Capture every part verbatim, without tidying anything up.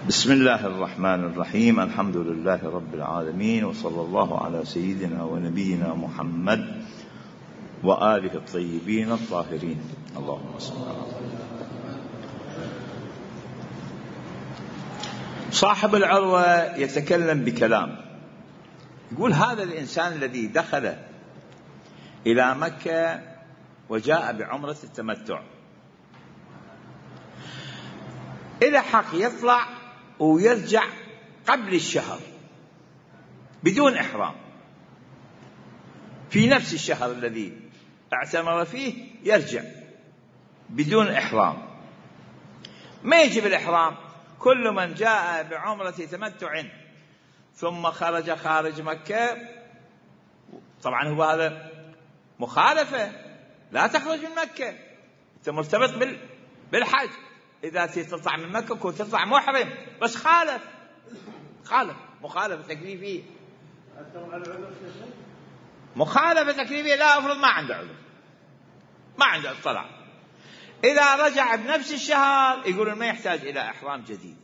بسم الله الرحمن الرحيم. الحمد لله رب العالمين، وصلى الله على سيدنا ونبينا محمد وآله الطيبين الطاهرين. اللهم صل على محمد. صاحب العروة يتكلم بكلام، يقول: هذا الإنسان الذي دخل إلى مكة وجاء بعمرة التمتع إلى حق يطلع ويرجع قبل الشهر بدون إحرام، في نفس الشهر الذي اعتمر فيه يرجع بدون إحرام، ما يجب الإحرام. كل من جاء بعمرة تمتع ثم خرج خارج مكة، طبعا هو هذا مخالفة، لا تخرج من مكة، أنت مرتبط بالحج. إذا تطلع من مكة كنت تطلع محرم، بس خالف خالف مخالفة تكليفية، مخالفة تكليفية. لا أفرض ما عنده عذر، ما عنده اطلاع، إذا رجع بنفس الشهر يقولون ما يحتاج إلى إحرام جديد.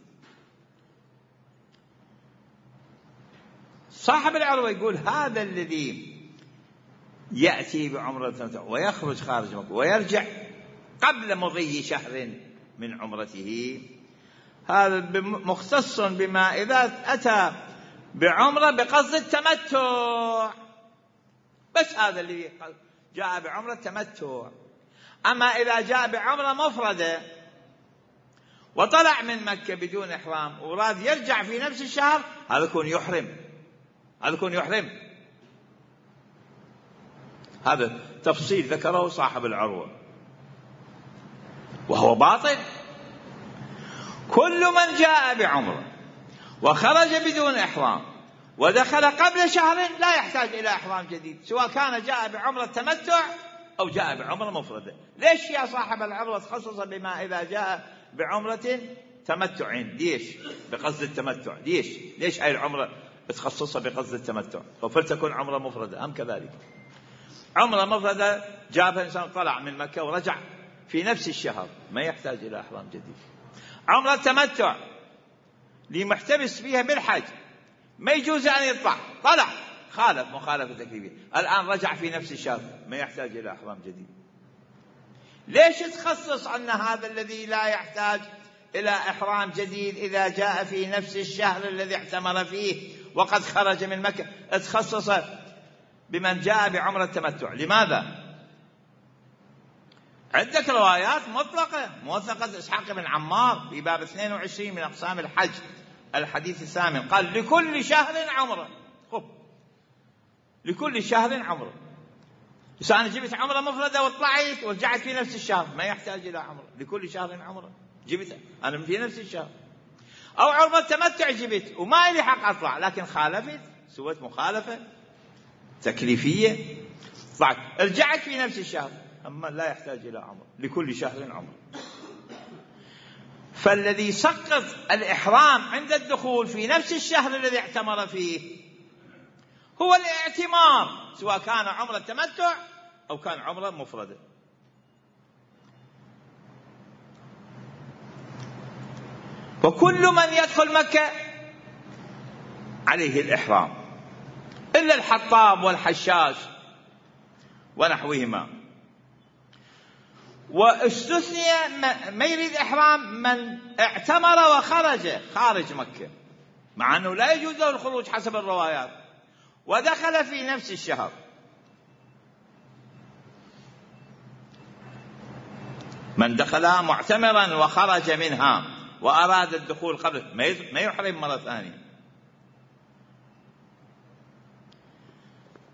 صاحب العروة يقول: هذا الذي يأتي بعمرة ويخرج خارج مكة ويرجع قبل مضي شهر من عمرته، هذا مختص بما إذا أتى بعمرة بقصد التمتع، بس هذا اللي جاء بعمرة تمتع. أما إذا جاء بعمرة مفردة وطلع من مكة بدون إحرام وراد يرجع في نفس الشهر، هذا يكون يحرم، هذا يكون يحرم. هذا تفصيل ذكره صاحب العروة وهو باطل. كل من جاء بعمرة وخرج بدون إحرام ودخل قبل شهر لا يحتاج إلى إحرام جديد، سواء كان جاء بعمرة تمتع أو جاء بعمرة مفردة. ليش يا صاحب العروة تخصص بما إذا جاء بعمرة تمتع؟ ليش بقصد التمتع؟ ليش ليش هاي العمرة تخصصها بقصد التمتع؟ وفلتكن عمرة مفردة أم كذلك. عمرة مفردة جابها إنسان طلع من مكة ورجع في نفس الشهر، ما يحتاج إلى إحرام جديد. عمرة تمتع لمحتبس فيها بالحج ما يجوز أن يطلع، طلع خالف مخالفة تكليفية، الآن رجع في نفس الشهر، ما يحتاج إلى إحرام جديد. ليش تخصص أن هذا الذي لا يحتاج إلى إحرام جديد إذا جاء في نفس الشهر الذي اعتمر فيه وقد خرج من مكة، تخصص بمن جاء بعمرة تمتع؟ لماذا؟ عندك روايات مطلقة موثقة إسحاق بن عمار في باب اثنين وعشرين من أقسام الحج الحديث الثامن، قال: لكل شهر عمرة. خب لكل شهر عمرة. بس أنا جبت عمرة مفردة وطلعت ورجعت في نفس الشهر، ما يحتاج إلى عمرة. لكل شهر عمرة جبت أنا في نفس الشهر. أو عمرة تمتع جبت وما لي حق أطلع، لكن خالفت، سويت مخالفة تكليفية، طلعت رجعت في نفس الشهر، أما لا يحتاج إلى عمرة. لكل شهر عمرة. فالذي سقط الإحرام عند الدخول في نفس الشهر الذي اعتمر فيه هو الاعتمار، سواء كان عمرة تمتع أو كان عمرة مفردة. وكل من يدخل مكة عليه الإحرام إلا الحطاب والحشاش ونحوهما. واستثني ما يريد إحرام من اعتمر وخرج خارج مكة، مع أنه لا يجوز له الخروج حسب الروايات، ودخل في نفس الشهر. من دخلها معتمرا وخرج منها وأراد الدخول قبل ما يحرم مرة ثانية.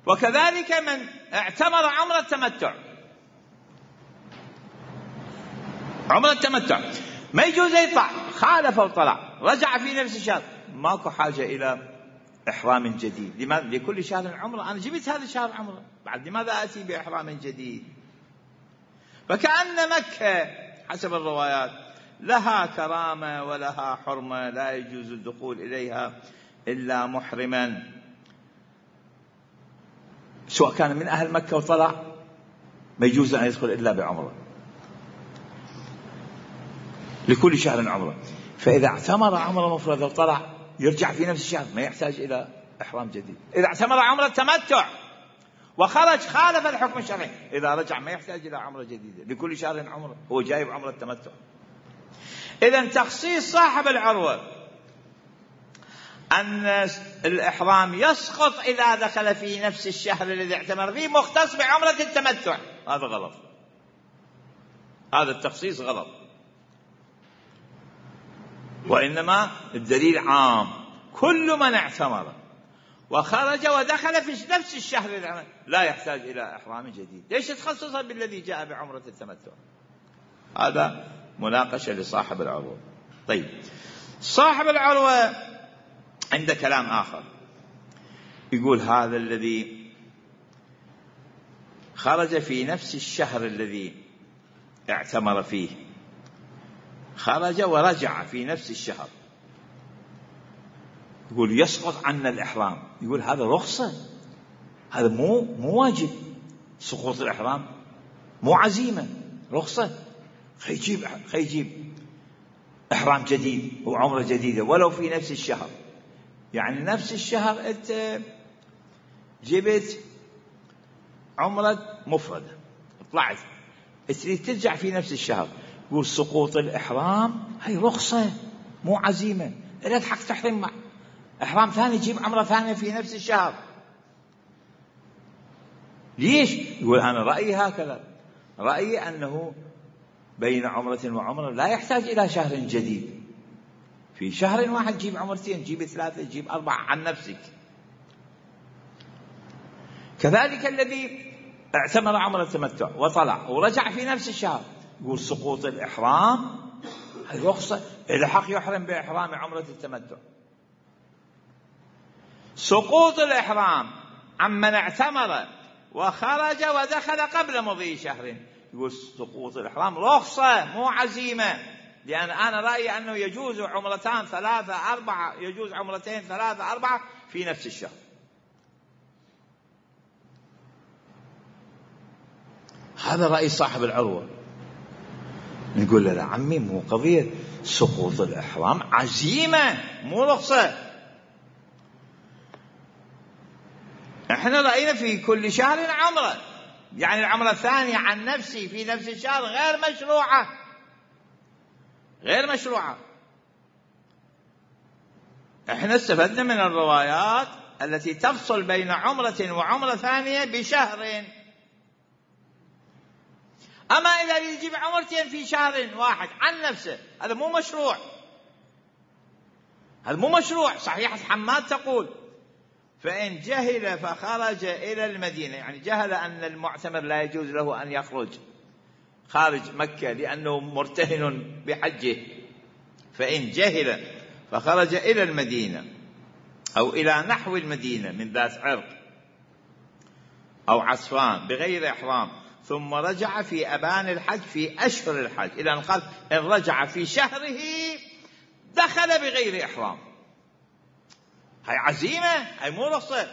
وكذلك من اعتمر عمرة تمتع، عمرة التمتع ما يجوز يطلع، خالف وطلع رجع في نفس الشهر، ماكو حاجة إلى إحرام جديد. لماذا؟ لكل شهر عمرة، أنا جبت هذا الشهر عمرة، بعد لماذا أتي بإحرام جديد؟ فكأن مكة حسب الروايات لها كرامة ولها حرمة، لا يجوز الدخول إليها إلا محرما، سواء كان من أهل مكة وطلع ما يجوز أن يدخل إلا بعمرة. لكل شهر عمرة. فإذا اعتمر عمرة مفردة وطلع يرجع في نفس الشهر ما يحتاج إلى إحرام جديد. إذا اعتمر عمرة تمتع وخرج خالف الحكم الشرعي، إذا رجع ما يحتاج إلى عمرة جديدة، لكل شهر عمرة، هو جايب عمرة تمتع. إذن تخصيص صاحب العروة أن الإحرام يسقط إذا دخل في نفس الشهر الذي اعتمر فيه مختص بعمرة التمتع، هذا غلط، هذا التخصيص غلط. وإنما الدليل عام، كل من اعتمر وخرج ودخل في نفس الشهر لا يحتاج إلى إحرام جديد. ليش تخصصها بالذي جاء بعمرة التمتع؟ هذا مناقشة لصاحب العروة. طيب، صاحب العروة عنده كلام آخر، يقول هذا الذي خرج في نفس الشهر الذي اعتمر فيه، خرج ورجع في نفس الشهر، يقول يسقط عنا الإحرام. يقول هذا رخصة، هذا مو مو واجب. سقوط الإحرام مو عزيمة، رخصة. خيجيب خيجيب إحرام جديد وعمرة جديدة ولو في نفس الشهر. يعني نفس الشهر أنت جبت عمرة مفردة طلعت تريد ترجع في نفس الشهر، يقول سقوط الإحرام هي رخصة مو عزيمة، لك حق تحرم مع إحرام ثاني، جيب عمرة ثانية في نفس الشهر. ليش؟ يقول أنا رأيي هكذا، رأيي أنه بين عمرة وعمرة لا يحتاج إلى شهر جديد، في شهر واحد جيب عمرتين، جيب ثلاثة، جيب أربعة عن نفسك. كذلك الذي اعتمر عمرة التمتع وطلع ورجع في نفس الشهر، يقول سقوط الإحرام هي رخصة، إذا حق يحرم بإحرام عمرة التمتع. سقوط الإحرام عمن اعتمر وخرج ودخل قبل مضي شهر، يقول سقوط الإحرام رخصة مو عزيمة، لأن أنا رأيي أنه يجوز عمرتان ثلاثة أربعة، يجوز عمرتين ثلاثة أربعة في نفس الشهر. هذا رأي صاحب العروة. نقول له لا عمي، مو قضية سقوط الإحرام عزيمة مو رخصة، احنا رأينا في كل شهر عمرة، يعني العمرة الثانية عن نفسي في نفس الشهر غير مشروعة، غير مشروعة. احنا استفدنا من الروايات التي تفصل بين عمرة وعمرة ثانية بشهر. أما إذا يجيب عمرتين في شهر واحد عن نفسه، هذا مو مشروع، هذا مو مشروع. صحيحة حماد تقول فإن جهل فخرج إلى المدينة، يعني جهل أن المعتمر لا يجوز له أن يخرج خارج مكة لأنه مرتهن بحجه، فإن جهل فخرج إلى المدينة أو إلى نحو المدينة من ذات عرق أو عسفان بغير إحرام، ثم رجع في أبان الحج في أشهر الحج، إلى أن قال إن رجع في شهره دخل بغير إحرام، هاي عزيمة، هاي مو رخصة.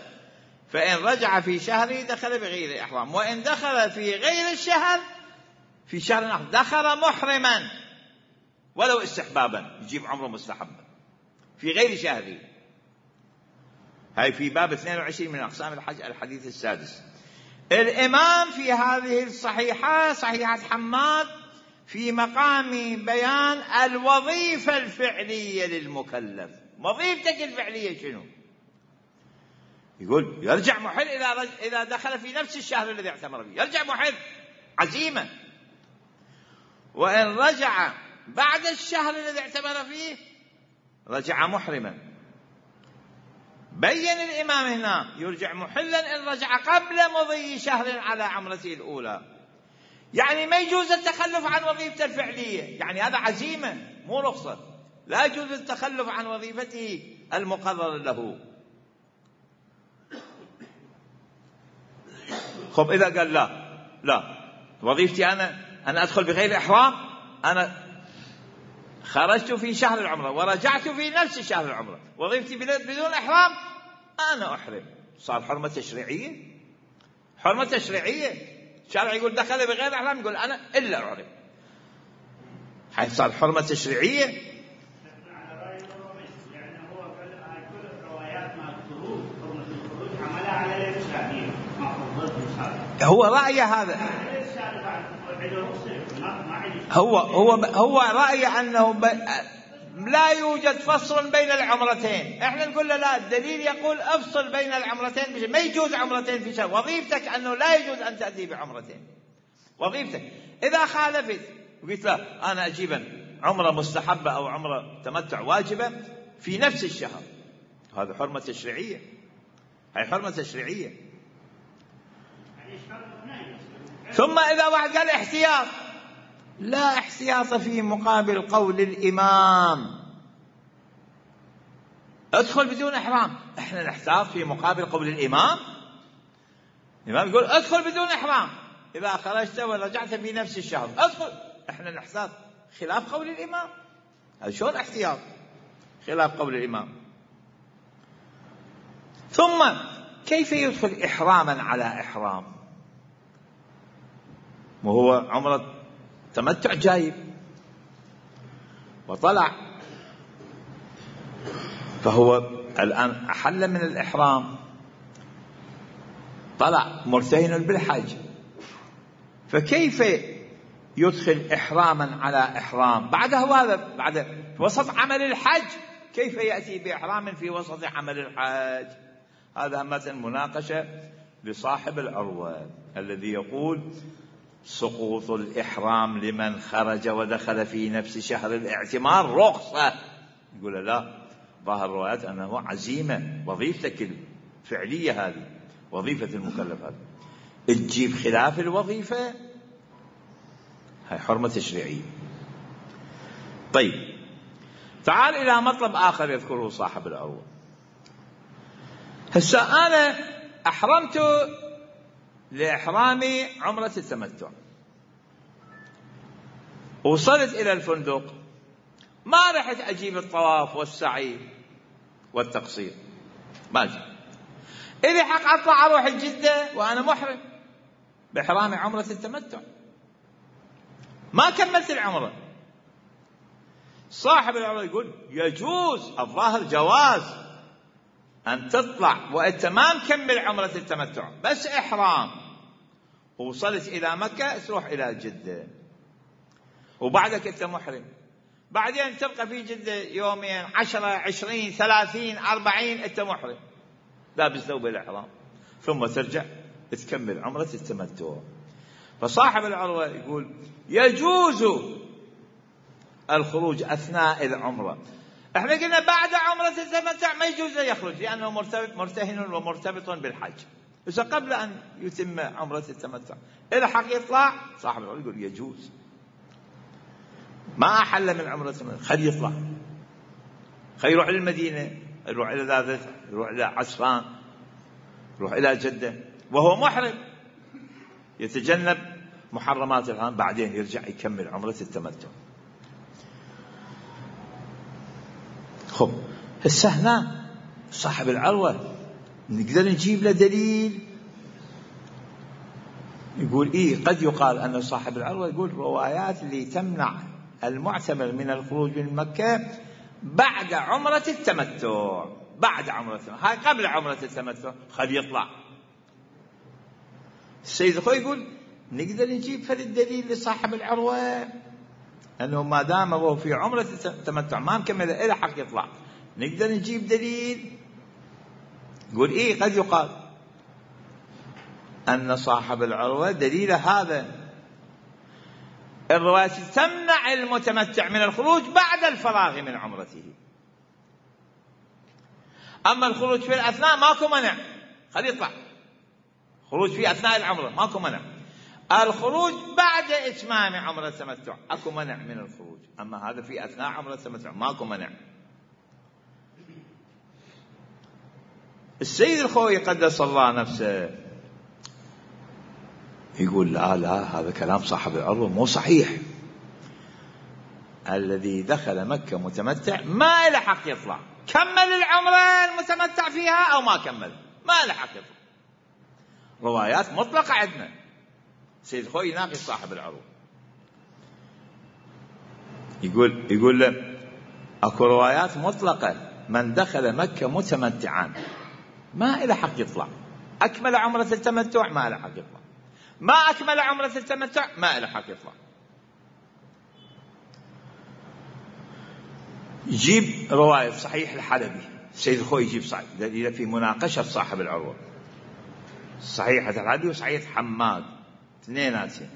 فإن رجع في شهره دخل بغير إحرام، وإن دخل في غير الشهر في شهر آخر دخل محرما ولو استحبابا، يجيب عمره مستحبا في غير شهره. هاي في باب اثنين وعشرين من أقسام الحج الحديث السادس. الإمام في هذه الصحيحة صحيحة حماد في مقام بيان الوظيفة الفعلية للمكلف. وظيفتك الفعلية شنو؟ يقول يرجع محل إذا رج... إذا دخل في نفس الشهر الذي اعتمر فيه، يرجع محل عزيمة. وإن رجع بعد الشهر الذي اعتمر فيه رجع محرما. بين الإمام هنا يرجع محلا إن رجع قبل مضي شهر على عمرته الأولى، يعني ما يجوز التخلف عن وظيفته الفعلية، يعني هذا عزيمة مو رخصة، لا يجوز التخلف عن وظيفته المقرر له. خب إذا قال لا لا وظيفتي أنا أنا أدخل بغير إحرام، أنا خرجت في شهر العمرة ورجعت في نفس شهر العمرة، وظيفتي بدون إحرام، أنا أحرم. صار حرمة تشريعية، حرمة تشريعية. الشارع يقول دخل بغير إحرام، يقول أنا إلا أحرم، حيث صار حرمة تشريعية. هو رأيه هذا، هو هو هو رأيه أنه ب... لا يوجد فصل بين العمرتين. احنا نقول له لا، الدليل يقول افصل بين العمرتين بشيء. ما يجوز عمرتين في شهر، وظيفتك أنه لا يجوز أن تأتي بعمرتين، وظيفتك. إذا خالفت وقلت لا أنا أجيب عمرة مستحبة أو عمرة تمتع واجبة في نفس الشهر، هذا حرمة تشريعية، هي حرمة تشريعية. ثم إذا واحد قال احتياط، لا احتياط في مقابل قول الإمام ادخل بدون إحرام. احنا نحتاط في مقابل قول الإمام. الإمام يقول ادخل بدون إحرام، إذا خرجت ورجعت في نفس الشهر ادخل. احنا نحتاط خلاف قول الإمام. هذا شلون احتياط خلاف قول الإمام؟ ثم كيف يدخل إحراما على إحرام وهو عمرة تمتع جايب وطلع، فهو الآن أحل من الإحرام، طلع مرتهن بالحج، فكيف يدخل إحراما على إحرام بعده؟ هذا بعد في وسط عمل الحج، كيف يأتي بإحرام في وسط عمل الحج؟ هذا مثلا مناقشة لصاحب العروة الذي يقول سقوط الإحرام لمن خرج ودخل في نفس شهر الاعتمار رخصة. يقول لا، ظاهر الروايات أنه عزيمة، وظيفتك الفعلية هذه، وظيفة المكلف هذا، تجيب خلاف الوظيفة، هاي حرمة تشريعية. طيب تعال إلى مطلب آخر يذكره صاحب العروة. هسه أنا أحرمت لإحرامي عمرة التمتع، وصلت إلى الفندق، ما رحت أجيب الطواف والسعي والتقصير، ما أجيب. إلي حق أطلع أروح الجدة وأنا محرم بإحرامي عمرة التمتع، ما كملت العمرة. صاحب العمرة يقول يجوز، الظاهر جواز أن تطلع وأنت ما مكمل عمرة التمتع، بس إحرام، ووصلت إلى مكة تروح إلى جدة، وبعدك أنت محرم، بعدين تبقى في جدة يومين، عشرة، عشرين، ثلاثين، أربعين، أنت محرم لابس ثوب الإحرام، ثم ترجع تكمل عمرة التمتع. فصاحب العروة يقول يجوز الخروج أثناء العمرة. احنا قلنا بعد عمرة التمتع ما يجوز يخرج لأنه مرتهن ومرتبط بالحج. إذا قبل أن يتم عمرة التمتع إلى حق يطلع، صاحب العروة يقول يجوز، ما أحل من عمرة التمتع، خلي يطلع، خلي يروح للمدينة، يروح إلى ذات، يروح إلى عسفان، يروح إلى جدة وهو محرم، يتجنب محرمات الحرام، بعدين يرجع يكمل عمرة التمتع. خب هسه هنا صاحب العروة نقدر نجيب له دليل يقول إيه؟ قد يقال أن صاحب العروة يقول روايات اللي تمنع المعتمر من الخروج من مكة بعد عمرة التمتع، بعد عمرة التمتع، هاي قبل عمرة التمتع خلي يطلع. السيد الخوي يقول نقدر نجيب فل الدليل لصاحب العروة أنه ما دام هو في عمرة التمتع ما مكمل إلى حق يطلع، نقدر نجيب دليل يقول إيه؟ قد يقال أن صاحب العروة دليل هذا الرواية تمنع المتمتع من الخروج بعد الفراغ من عمرته، أما الخروج في الأثناء ماكو منع، خليه يطلع. خروج في أثناء العمرة ماكو منع، الخروج بعد إتمام عمرة التمتع أكو منع من الخروج، أما هذا في أثناء عمرة التمتع ماكو منع. السيد الخوي قدس الله نفسه يقول لا لا، هذا كلام صاحب العروة مو صحيح، الذي دخل مكة متمتع ما له حق يطلع، كمل العمرة المتمتع فيها أو ما كمل ما له حق يطلع. روايات مطلقة عندنا، سيد خوي يناقش صاحب العروة يقول يقول له اكو روايات مطلقة، من دخل مكة متمتعا ما له حق يطلع، أكمل عمرة التمتع ما له حق يطلع، ما أكمل عمرة التمتع ما له حق يطلع. يجيب رواية صحيح الحلبي السيد الخوئي يجيب صحيح دليل في مناقشة صاحب العروة صحيح الحلبي وصحيح حماد اثنيناتهم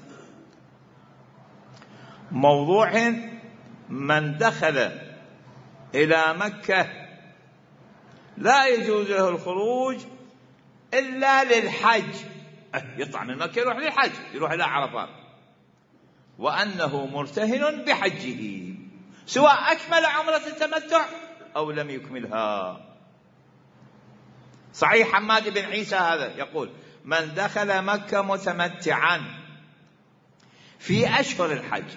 موضوع من دخل إلى مكة لا يجوز له الخروج إلا للحج، يطلع من مكة يروح للحج يروح إلى عرفات، وأنه مرتهن بحجه سواء أكمل عمرة التمتع أو لم يكملها. صحيح حماد بن عيسى هذا يقول من دخل مكة متمتعا في أشهر الحج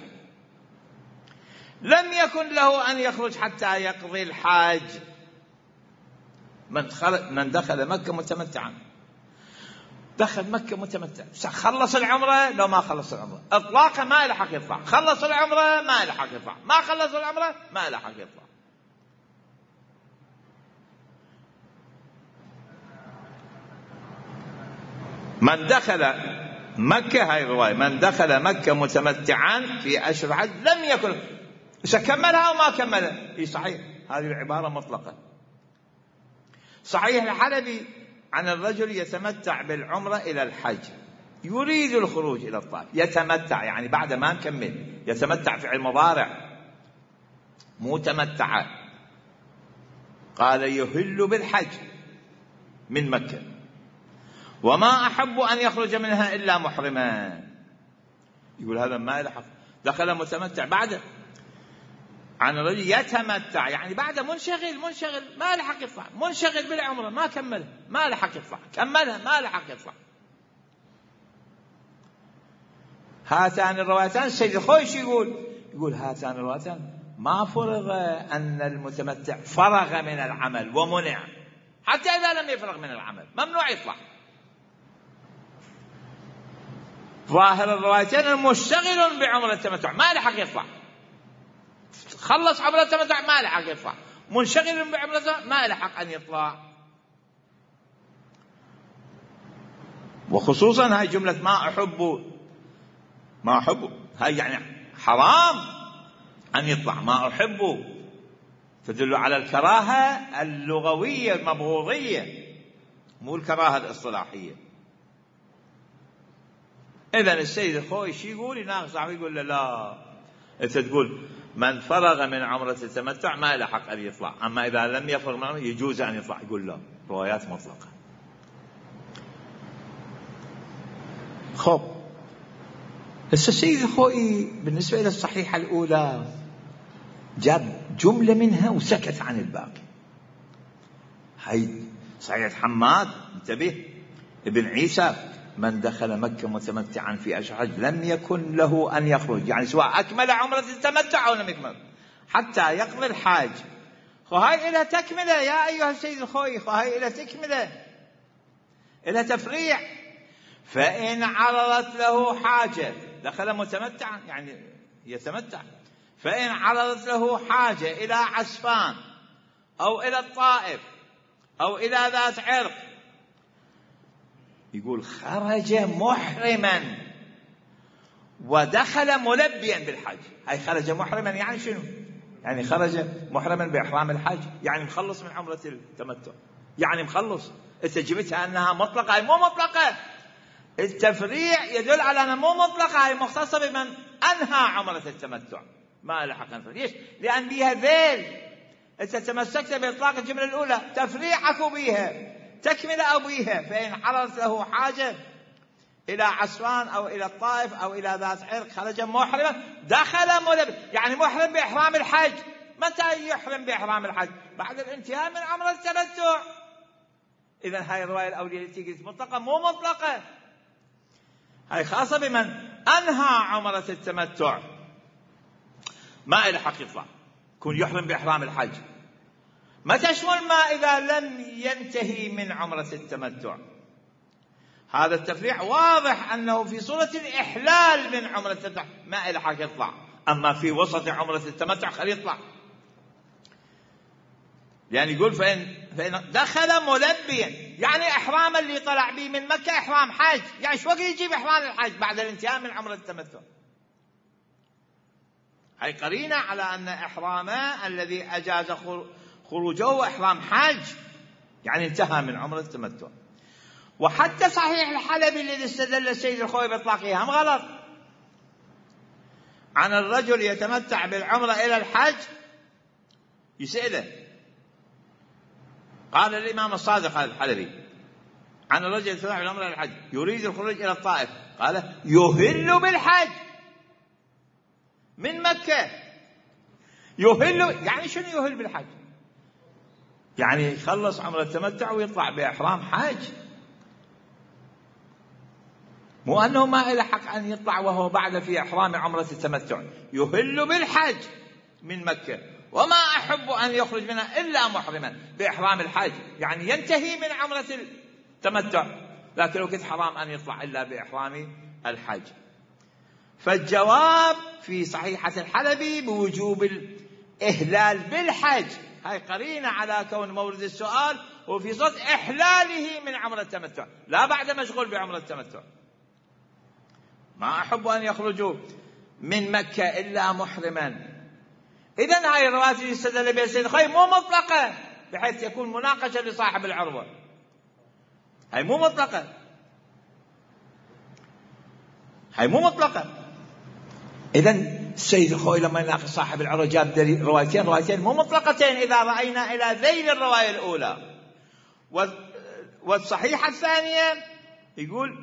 لم يكن له أن يخرج حتى يقضي الحاج. من, من دخل مكة متمتعا دخل مكة متمتع خلص العمرة لو ما خلص العمرة إطلاقا ما له حق يطلع، خلص العمرة ما له حق يطلع، ما خلص العمرة ما له حق يطلع. من دخل مكة هاي الرواية من دخل مكة متمتعا في أشهر الحج لم يكن كملها أو ما كملها هي صحيح هذه العبارة مطلقة. صحيح الحلبي عن الرجل يتمتع بالعمرة إلى الحج يريد الخروج إلى الطائف يتمتع يعني بعد ما نكمل يتمتع فعل مضارع مو تمتع. قال يهل بالحج من مكة وما أحب أن يخرج منها إلا محرما. يقول هذا ما يلحق دخل متمتع بعد عن الرجل يتمتع يعني بعد منشغل منشغل ما لحق يطلع منشغل بالعمرة ما كملها ما لحق يطلع كملها ما لحق يطلع. هاتان الروايتان السيد الخوئي يقول يقول هاتان الروايتان ما فرض أن المتمتع فرغ من العمل ومنع حتى إذا لم يفرغ من العمل ممنوع يطلع. ظاهر الروايتين المشتغل بعمرة التمتع ما لحق يطلع خلص عمرة التمتع ما لحق يطلع منشغل بعمرته ما لحق أن يطلع. وخصوصا هاي جملة ما أحب ما أحب هاي يعني حرام أن يطلع ما أحب تدل على الكراهة اللغوية المبغوضية مو الكراهة الاصطلاحية. إذن السيد الخوئي شي يقول يناقش صاحبه يقول له لا أنت تقول من فرغ من عمرة التمتع ما له حق أن يطلع أما إذا لم يفرغ من عمرة يجوز أن يطلع. يقول لا روايات مطلقة. خب بس السيد الخوئي بالنسبة إلى الصحيحة الأولى جاب جملة منها وسكت عن الباقي. هاي صحيح حماد انتبه ابن عيسى من دخل مكة متمتعا في أشهر الحج لم يكن له أن يخرج يعني سواء أكمل عمرة التمتع أو لم يكمل حتى يقضي الحاج. وهاي إلى تكملة يا أيها السيد الخوئي وهاي إلى تكملة إلى تفريع. فإن عرضت له حاجة دخل متمتعا يعني يتمتع فإن عرضت له حاجة إلى عسفان أو إلى الطائف أو إلى ذات عرق يقول خرج محرما ودخل ملبيا بالحج. هاي خرج محرما يعني شنو؟ يعني خرج محرما بإحرام الحج يعني مخلص من عمرة التمتع يعني مخلص. انت جبتها أنها مطلقة هاي مو مطلقة. التفريع يدل على أنها مو مطلقة هاي مختصة بمن أنهى عمرة التمتع ما له حق أن. ليش؟ لأن بيها ذيل انت تمسكت بإطلاق الجملة الأولى تفريع أكو بيها تكمل أو بيها. فإن حرص له حاجة إلى عسفان أو إلى الطائف أو إلى ذات عرق خرج محرما دخل ملبي يعني محرم بإحرام الحج. متى يحرم بإحرام الحج؟ بعد الانتهاء من عمرة التمتع. إذن هاي الرواية الأولية التي قلت مطلقة مو مطلقة هاي خاصة بمن أنهى عمرة التمتع ما إلى حق يطلع كون يحرم بإحرام الحج. ما تشمل ما إذا لم ينتهي من عمرة التمتع. هذا التفريع واضح أنه في صورة الإحلال من عمرة التمتع ما إلى حق يطلع أما في وسط عمرة التمتع خلي يطلع. يعني يقول فإن فإن دخل ملبيا، يعني إحرام اللي طلع به من مكة إحرام حج، يعني شو وقت يجيب إحرام الحج؟ بعد الانتهاء من عمرة التمتع. هي قرينة على أن إحرامه الذي أجاز خروجه إحرام حج، يعني انتهى من عمرة التمتع. وحتى صحيح الحلبي الذي استدل السيد الخوئي بإطلاقه هم غلط، عن الرجل يتمتع بالعمرة إلى الحج، يسأله قال الإمام الصادق الحلبي عن الرجل يتمتع بالعمرة إلى الحج يريد الخروج إلى الطائف، قال يهل بالحج من مكة. يهل يعني شنو يهل بالحج؟ يعني يخلص عمرة التمتع ويطلع بإحرام حج، مو أنه ما له حق أن يطلع وهو بعد في إحرام عمرة التمتع. يهل بالحج من مكة، وما أحب أن يخرج منها إلا محرما بإحرام الحج، يعني ينتهي من عمرة التمتع، لكن لو كنت حرام أن يطلع إلا بإحرام الحج. فالجواب في صحيحة الحلبي بوجوب الإهلال بالحج، هاي قرينة على كون مورد السؤال وفي صد إحلاله من عمرة التمتع، لا بعد مشغول بعمرة التمتع. ما أحب أن يخرجوا من مكة إلا محرما. إذن هاي الروايات اللي استدل بها السيد الخوئي مو مطلقة بحيث يكون مناقشة لصاحب العروة، هاي مو مطلقة، هاي مو مطلقة. إذن السيد الخوئي لما يناقش صاحب العروة جاب روايتين روايتين مو مطلقتين إذا رأينا إلى ذيل الرواية الأولى. والصحيحة الثانية يقول